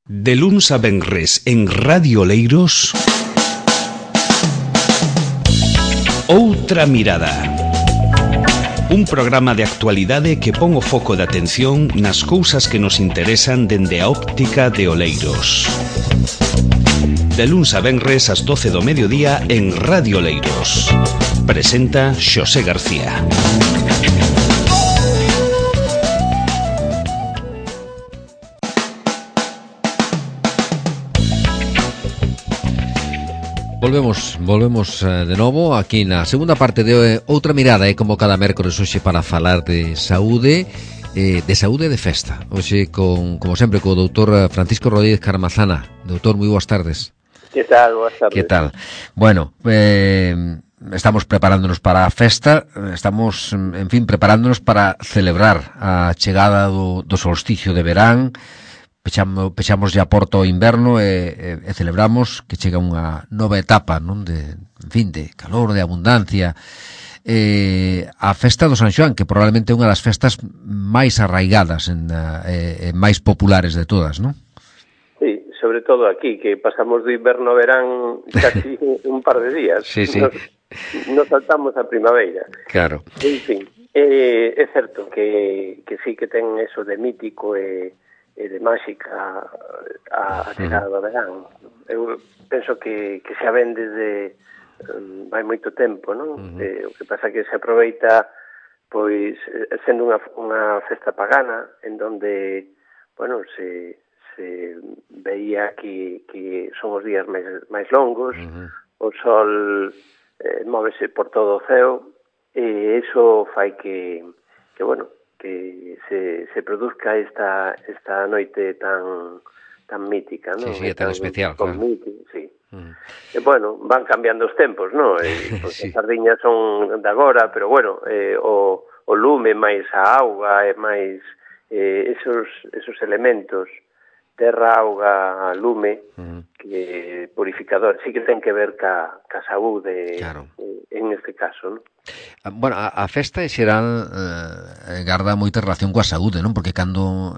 De luns a venres en Radio Oleiros, Outra Mirada. Un programa de actualidade que pon o foco de atención nas cousas que nos interesan dende a óptica de Oleiros. De luns a venres ás 12 do mediodía en Radio Oleiros. Presenta Xosé García. Volvemos de novo aquí na segunda parte de Outra Mirada, como cada mércores hoxe para falar de saúde e de festa. Hoxe, como sempre, co doutor Francisco Rodríguez Carmazana. Doutor, moi boas tardes. Que tal? Boas tardes. Que tal? Bueno, estamos preparándonos para a festa, estamos, en fin, preparándonos para celebrar a chegada do solsticio de verán. Pechamos ya a porta o inverno e celebramos que chega unha nova etapa, non, de, en fin, de calor, de abundancia. A festa do San Xoán, que probablemente é unha das festas máis arraigadas e máis populares de todas, non? Sí, sobre todo aquí, que pasamos do inverno ao verán casi un par de días. Sí, sí. Nos saltamos a primavera. Claro. En fin, é certo que sí que ten eso de mítico e de máxica a chegada do verán. Eu penso que xa ven desde vai moito tempo, non? O que pasa que se aproveita, pois, sendo unha festa pagana, en donde, bueno, se veía que son os días máis longos, o sol móvese por todo o ceo, e iso fai que bueno, que se produzca esta noite tan mítica, non? Sí, tan especial, claro. Sí. E, bueno, van cambiando os tempos, non? Sí. As sardiñas son de agora, pero, bueno, o lume máis a auga e máis esos elementos, terra, auga, lume, que purificador, sí que ten que ver ca saúde, claro. En este caso, non? Bueno, a festa en xeral garda moita relación coa saúde, non? Porque cando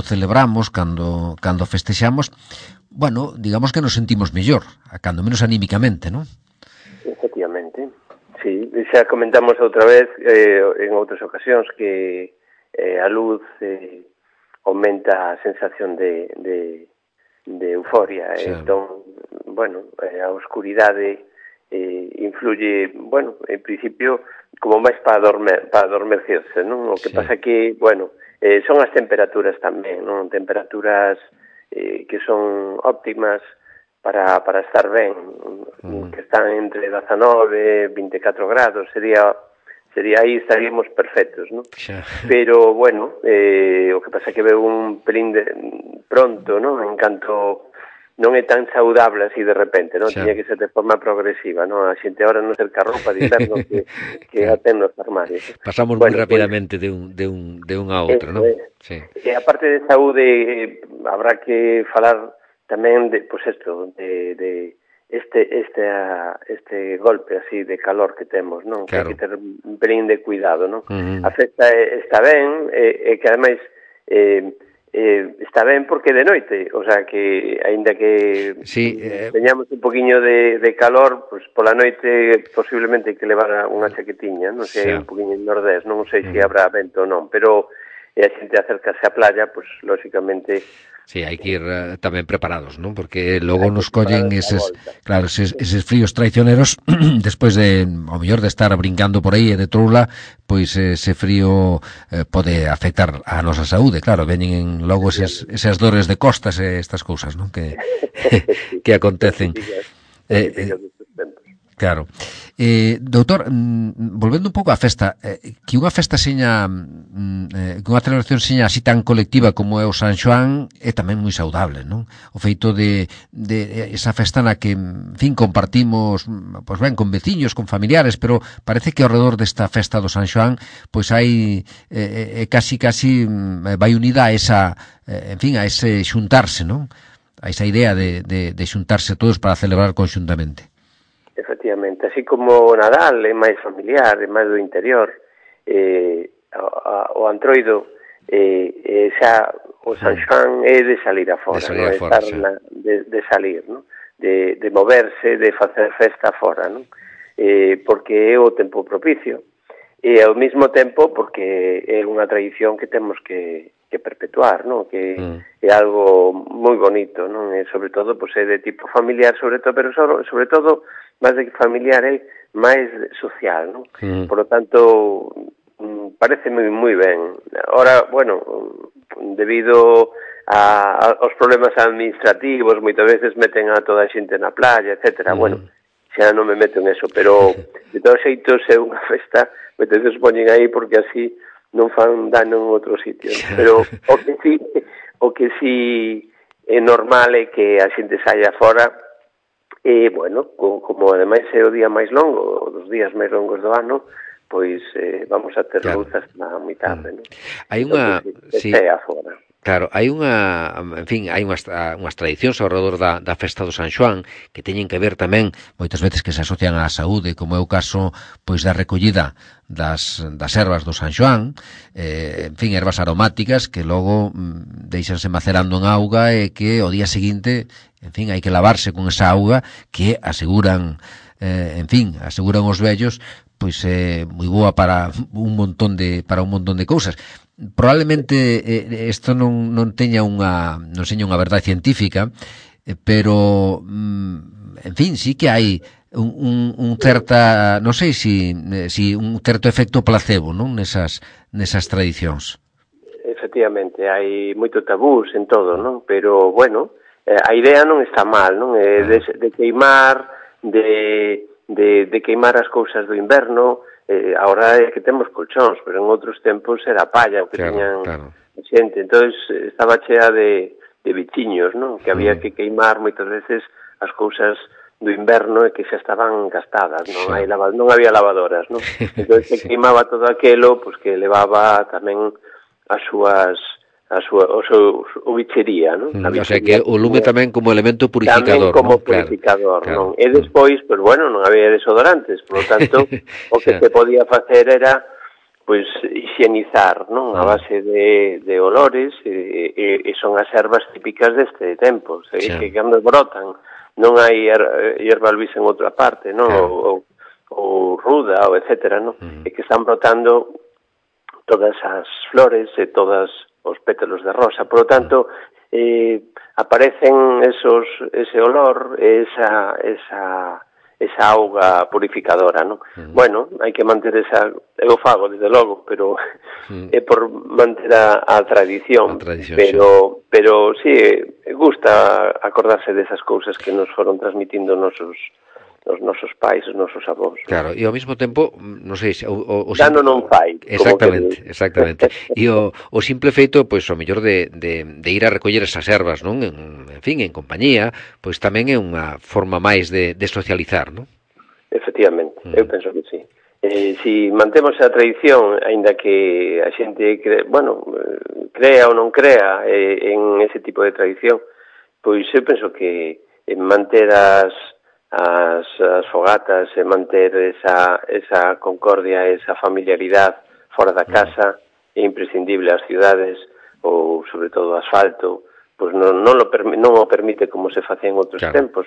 celebramos, cando festexamos, bueno, digamos que nos sentimos mellor, cando menos anímicamente, non? Efectivamente, sí. Xa comentamos outra vez en outras ocasións que a luz aumenta a sensación de euforia. Sí. Entón, bueno, a oscuridade influye, bueno, en principio como máis para adormecerse, non? O que sí. Pasa que, bueno, son as temperaturas tamén, non? Temperaturas que son óptimas para estar ben, que están entre 19 e 24 grados, sería aí estaríamos perfectos, non? Xa. Pero, bueno, o que pasa que veo un pelín pronto, non? En canto non é tan saudable así de repente, non? Tiña que ser de forma progresiva, non? A xente ahora non cerca roupa de inverno que a ten nos armarios. Pasamos moi rapidamente de un a outro, non? Sí. E a parte de saúde, habrá que falar tamén de, pois isto, de este golpe así de calor que temos, non? Claro. Que hai que ter un pelín de cuidado, non? A festa está ben, e que ademais está ben porque de noite, o sea que aínda que sí, teñamos un poquinho de calor, pues pola noite posiblemente hai que levar unha chaquetiña, non sei, sí. Un poquinho en nordés, non sei se habrá vento ou non, pero a xente acercase á playa, pues lógicamente. Sí, hai que ir tamén preparados, non? Porque logo nos collen eses fríos traicioneros despois de, ao mellor, de estar brincando por aí e de troula, pois ese frío pode afectar a nosa saúde, claro, veñen logo esas dores de costas e estas cousas, non? Que acontecen. Claro. Doutor, volvendo un pouco á festa, que unha festa seña, que unha celebración seña así tan colectiva como é o San Xoán é tamén moi saudable, non? O feito de esa festa na que, en fin, compartimos, pois ben, con veciños, con familiares, pero parece que ao redor desta festa do San Xoán, pois hai casi vai unida a esa, en fin, a ese xuntarse, non? A esa idea de xuntarse todos para celebrar conxuntamente. Efectivamente, así como o Nadal é máis familiar, é máis do interior, o Antroido xa o San Xoán é de salir afora, salir afora, de salir, non? De moverse, de facer festa afora, non? Porque é o tempo propicio e ao mesmo tempo porque é unha tradición que temos que perpetuar, non? Que é algo moi bonito, non? E sobre todo, pois, é de tipo familiar, sobre todo, pero sobre todo, máis de familiar, é máis social, non? Por lo tanto, parece moi ben. Ahora, bueno, debido aos problemas administrativos, moitas veces meten a toda a xente na playa, etcétera. Bueno, xa non me meto en eso, pero de todos xeitos é unha festa, moitas veces poñen aí porque así non fan dano en outros sitios. Pero o que sí é normal é que a xente saia fora e, bueno, como ademais é o día máis longo, dos días máis longos do ano, pois vamos a ter luz hasta moi tarde, non? Hai unha... Sí. Afora. Claro, hai hai unhas tradicións ao redor da festa do San Xoán que teñen que ver tamén moitas veces que se asocian á saúde, como é o caso pois da recollida das ervas do San Xoán, ervas aromáticas que logo deixanse macerando en auga e que ao día seguinte, hai que lavarse con esa auga que aseguran os vellos, pois é moi boa para un montón de cousas. Probablemente isto non teña non seña unha verdade científica, pero sí que hai un certa, non sei si un certo efecto placebo, non, nesas tradicións. Efectivamente, hai moito tabús en todo, non? Pero, bueno, a idea non está mal, non? De queimar, de queimar as cousas do inverno. Ahora é que temos colchóns, pero en outros tempos era palla o que tiñan xente. Entón, estaba chea de bichiños, non? Que había que queimar moitas veces as cousas do inverno e que xa estaban gastadas, non? Non había lavadoras, non? Entón, se queimaba todo aquelo, pois que levaba tamén o bichería, non? O sea, que o lume tamén como elemento purificador, tamén como purificador, non? E despois, pois, bueno, non había desodorantes, por lo tanto, o que se podía facer era, pois, higienizar, non? A base de olores, e son as ervas típicas deste tempo, que cando brotan, non hai erva luis en outra parte, non? Ou ruda, ou etcétera, non? E que están brotando todas as flores e todas os pétalos de rosa, por lo tanto aparecen ese olor, esa auga purificadora, non? Bueno, hai que manter eu fago, desde logo, pero é por manter a tradición, pero sí, gusta acordarse desas cousas que nos foron transmitindo os nosos pais, os nosos avós. Claro, e ao mesmo tempo, non sei, dano non fai. Exactamente. E o simple feito, pois, o mellor de ir a recoller esas ervas, non? En compañía, pois tamén é unha forma máis de socializar, non? Efectivamente, eu penso que sí. Si mantemos a tradición, aínda que a xente crea ou non crea en ese tipo de tradición, pois eu penso que manter as fogatas e manter esa concordia, esa familiaridade fora da casa é imprescindible. As cidades, ou sobre todo o asfalto, pois non o permite como se facía en outros tempos,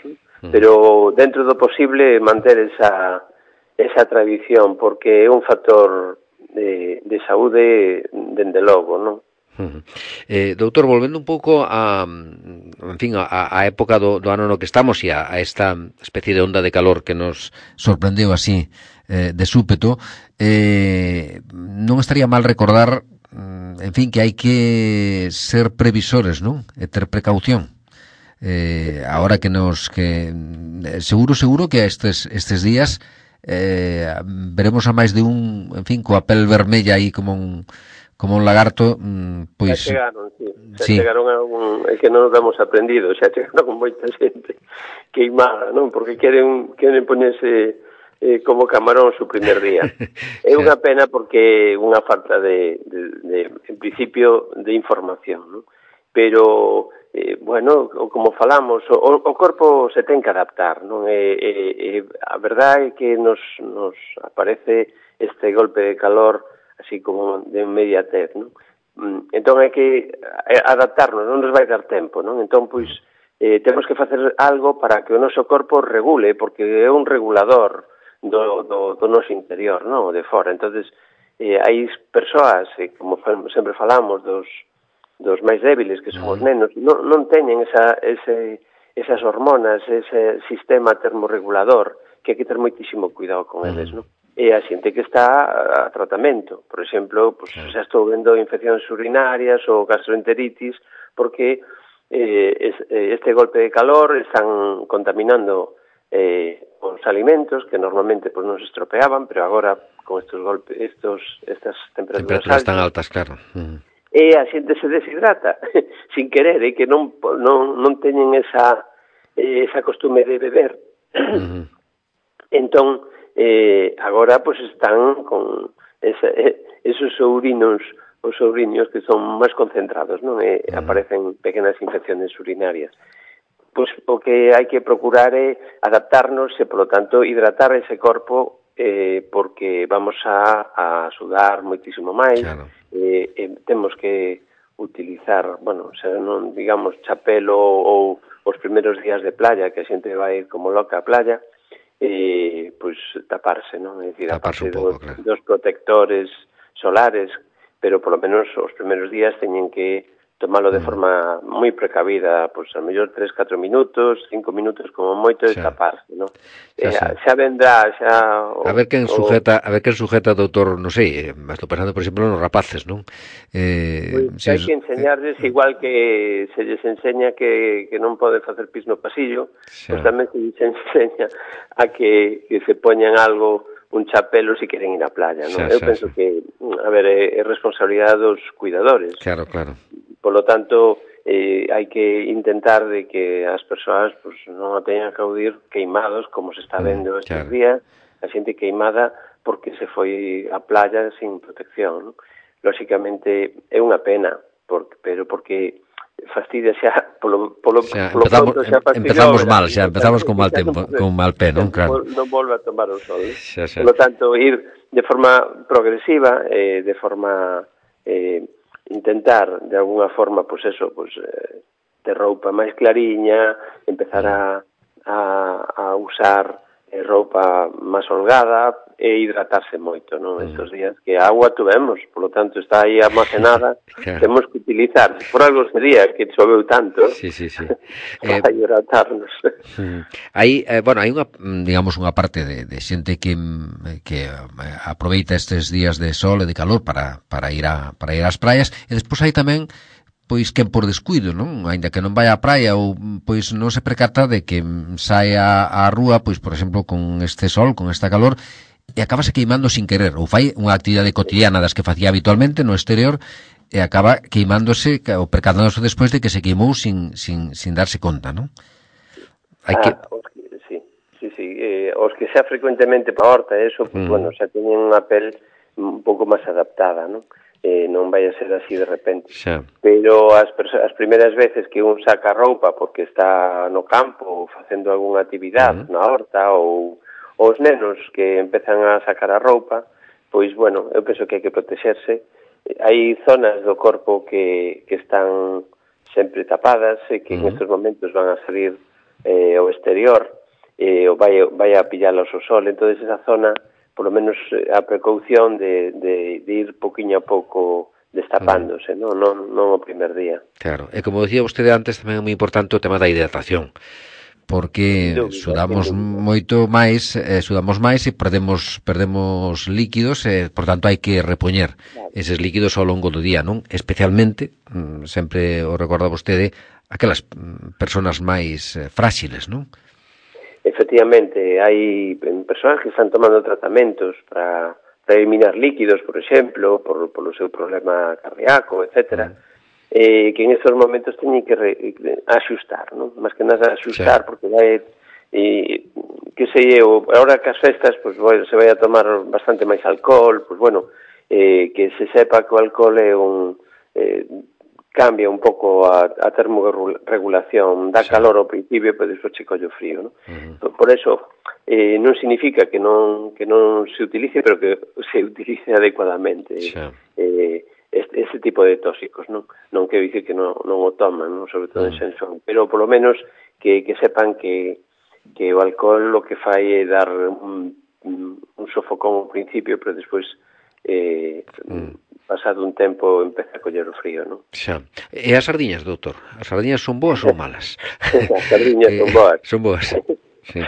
pero dentro do posible manter esa tradición, porque é un factor de saúde dende logo, non? Doutor, volvendo un pouco a época do ano no que estamos e a esta especie de onda de calor que nos sorprendeu así de súpeto, non estaría mal recordar que hai que ser previsores, non? E ter precaución. Ahora que seguro que estes días veremos a máis de un, coa pel vermella aí como un lagarto, pois... Xa chegaron é que non nos damos aprendido, xa chegaron con moita xente queimada, non? Porque queren poñerse como camarón o primer día. É unha pena porque é unha falta en principio, de información, non? Pero, bueno, como falamos, o corpo se ten que adaptar, non? A verdade é que nos aparece este golpe de calor así como de inmediatez, non? Entón hai que adaptarnos, non nos vai dar tempo, non? Entón, pois, temos que facer algo para que o noso corpo regule, porque é un regulador do noso interior, non? De fora. Entonces, hai persoas, como sempre falamos, dos máis débiles, que son os nenos, non teñen esas hormonas, ese sistema termorregulador, que hai que ter moitísimo cuidado con eles, non? E a xente que está a tratamento, por exemplo, pues, xa estou vendo infeccións urinarias ou gastroenteritis, porque este golpe de calor están contaminando os alimentos que normalmente pues, non se estropeaban, pero agora con estos golpes, estas temperaturas tan altas, claro. E a xente se deshidrata sin querer, e que non teñen esa costume de beber. Entón, agora pues están con esos os ouriños que son máis concentrados, non? Aparecen pequenas infecciones urinarias. Pois o que hai que procurar é adaptarnos e, polo tanto, hidratar ese corpo porque vamos a sudar moitísimo máis. Claro. Temos que utilizar, bueno, se non digamos chapelo ou os primeiros días de playa, que a xente vai como loca á playa, pois taparse, non? É dicir, taparse aparte claro, dos protectores solares, pero polo menos os primeiros días teñen que tomalo de forma moi precavida, pois a mellor 3-4 minutos, 5 minutos como moito de taparse, non? Xa vendrá, xa a ver quen sujeta, doutor, non sei, estou pensando, por exemplo, nos rapaces, non? Pois hai que enseñarles, igual que se les enseña que non pode facer pis no pasillo, pois tamén se les enseña a que se poñan algo, un chapelo se queren ir á playa, non? Eu penso que, a ver, é responsabilidade dos cuidadores. Claro. Por lo tanto, hai que intentar de que as persoas pues, non a teñan que acudir queimados, como se está vendo estes días, a xente queimada porque se foi á playa sin protección, non? Lóxicamente, é unha pena, pero porque fastidia xa polo pronto xa empezamos mal, xa empezamos con mal tempo, con mal pé, non? Claro. Non volve a tomar o sol. Por lo tanto, ir de forma progresiva, de forma intentar de alguna forma, pois eso, pois ter roupa máis clariña, empezar a usar roupa máis holgada e hidratarse moito, non? Estos días que a agua tuvemos, por lo tanto está aí almacenada, temos que utilizar, por algo sería que choveu tanto, para hidratarnos. Hai, bueno, hai unha, digamos, unha parte de xente que aproveita estes días de sol e de calor para ir ás praias, e despois hai tamén pois quen por descuido, non? Aínda que non vai á praia ou pois non se percata de que saia á rúa, pois por exemplo, con este sol, con esta calor, e acabase queimando sin querer, ou fai unha actividade cotidiana das que facía habitualmente no exterior e acaba queimándose ou percatándose despois de que se queimou sin darse conta, non? Os que xa frecuentemente pa horta, eso, pues, bueno, xa teñen unha pel un pouco máis adaptada, non? Non vai a ser así de repente. Pero as primeiras veces que un saca roupa porque está no campo ou facendo algunha actividade na horta ou os nenos que empezan a sacar a roupa, pois, bueno, eu penso que hai que protexerse. Hai zonas do corpo que están sempre tapadas e que en estes momentos van a salir ao exterior ou vai a pillalos o sol, entón esa zona polo menos a precaución de ir poquinho a pouco destapándose, non o primer día. Claro, e como decía vostede antes, tamén é moi importante o tema da hidratación, porque sudamos máis e perdemos líquidos, por tanto hai que repoñer eses líquidos ao longo do día, non? Especialmente, sempre o recorda vostede, aquelas persoas máis fráxiles, non? Efectivamente, hai persoas que están tomando tratamentos para eliminar líquidos, por exemplo, polo seu problema cardíaco, etcétera, que en estes momentos teñen que axustar, non? Más que nada axustar, porque vai, que sei eu, agora que as festas, pues, se vai a tomar bastante máis alcohol, pues bueno, que se sepa que o alcohol é cambia un pouco a termorregulación, dá calor ao principio, pero despois che colle o frío, non? Por eso, non significa que non se utilice, pero que se utilice adecuadamente. ese tipo de tóxicos, non quero dicir que non o toman, non, sobre todo en San Xoán, pero polo menos que sepan que o alcohol lo que fai é dar un sofocón ao principio, pero despois pasado un tempo empeza a coller o frío, non? Xa. E as sardiñas, doutor? As sardiñas son boas ou malas? As sardiñas son boas. Son boas. Sí.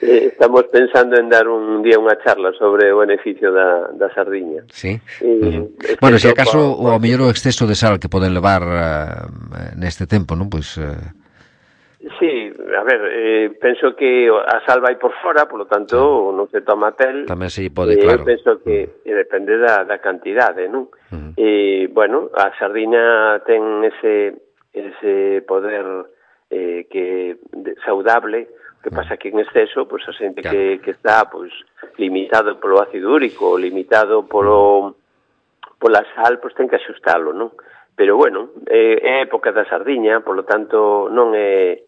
Estamos pensando en dar un día unha charla sobre o beneficio da sardiña. Sí. Bueno, se acaso o mellor o exceso de sal que poden levar neste tempo, non? Pois sí, a ver, penso que a sal vai por fora, polo tanto non se toma pel. Tamén se pode, claro. Penso que depende da cantidade, non? Bueno, a sardiña ten ese poder que saudable. Que pasa que en exceso, pois a xente que está pois limitado polo ácido úrico, limitado pola sal, pois ten que axustalo, non? Pero bueno, é época da sardiña, polo tanto non é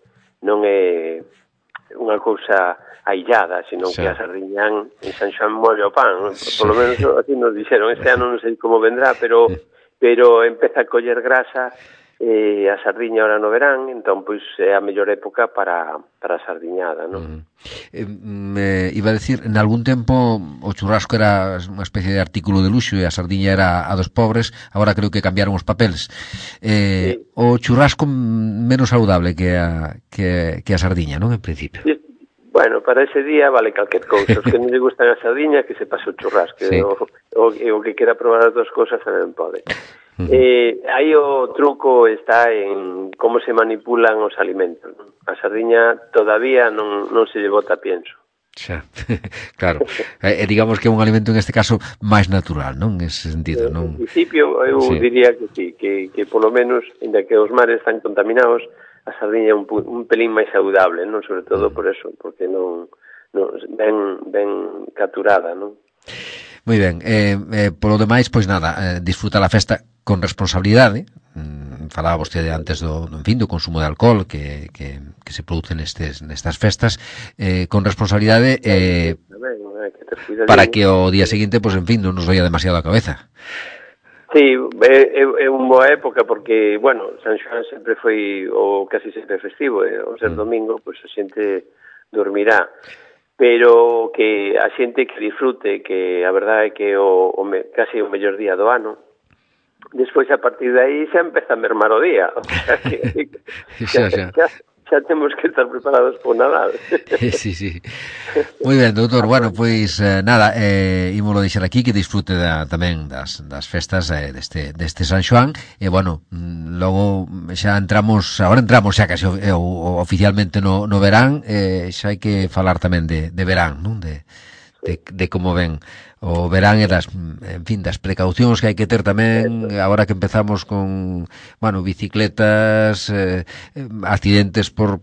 unha cousa aillada, senón que a sardiña en San Xoán molle o pan, polo menos así nos dixeron. Este ano non sei como vendrá, pero empeza a coller grasa a sardiña ahora no verán, entón pois é a mellor época para a sardiñada, non? Iba a decir, en algún tempo o churrasco era unha especie de artículo de luxo e a sardiña era a dos pobres, agora creo que cambiaron os papeles. O churrasco menos saudable que a sardiña, non, en principio? Bueno, para ese día vale calquer cousa. Os que non lle gustan a sardiña, que se pase o churrasco. Sí. O que quera probar as dos cousas tamén pode. Aí o truco está en como se manipulan os alimentos. A sardiña todavía non se lle bota pienso. Xa, claro. Digamos que é un alimento en este caso máis natural, non? En ese sentido, non? En principio eu diría que sí, que polo menos, ainda que os mares están contaminados, a sardiña é un pelín máis saudable, non? Sobre todo por eso, porque non ben capturada, non? Moi ben, polo demais, pois nada, disfrutar a festa con responsabilidade. Falaba vostede antes do consumo de alcohol que se produce nestas festas, con responsabilidade para que o día seguinte, pois en fin, non nos vaya demasiado a cabeza. Sí, é unha boa época porque, bueno, San Xoán sempre foi o casi sempre festivo, o ser domingo, pois a xente dormirá. Pero que a xente que disfrute, que a verdade é que casi o mellor día do ano. Despois, a partir de aí, xa empeza a mermar o día. O sea, xa temos que estar preparados por Nadal. Sí. Moi ben, doutor. Bueno, pois nada, ímolo deixar aquí, que disfrute tamén das festas deste San Xoán. E, bueno, logo xa entramos xa casi oficialmente no verán, xa hai que falar tamén de verán, non? De como ven o verán e das precaucións que hai que ter tamén agora que empezamos con, bueno, bicicletas, accidentes por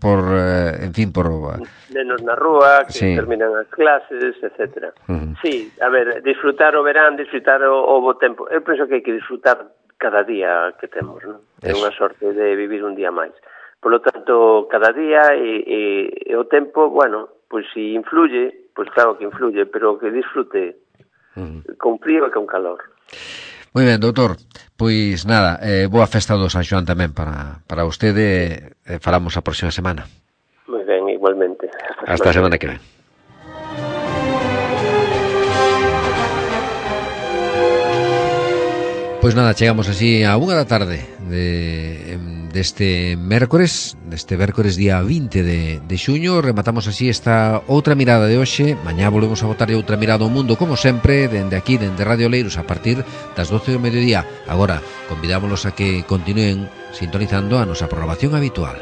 nenos na rúa, que terminan as clases, etcétera. Sí, a ver, disfrutar o verán, disfrutar o bo tempo. Eu penso que hai que disfrutar cada día que temos, non? É unha sorte de vivir un día máis. Por lo tanto, cada día e o tempo, bueno, pois si influye, pois claro que influye, pero que disfrute con frío e con calor. Moi ben, doutor. Pois nada, boa festa do San Xoán tamén para vostede. Falamos a próxima semana. Moi ben, igualmente. Hasta a semana que ven. Pois nada, chegamos así a 1 da tarde deste mércores día 20 de xuño. Rematamos así esta outra mirada de hoxe. Mañá volvemos a botarlle outra mirada ao mundo, como sempre, dende aquí, dende Radio Oleiros, a partir das 12 do mediodía. Agora, convidámonos a que continúen sintonizando a nosa programación habitual.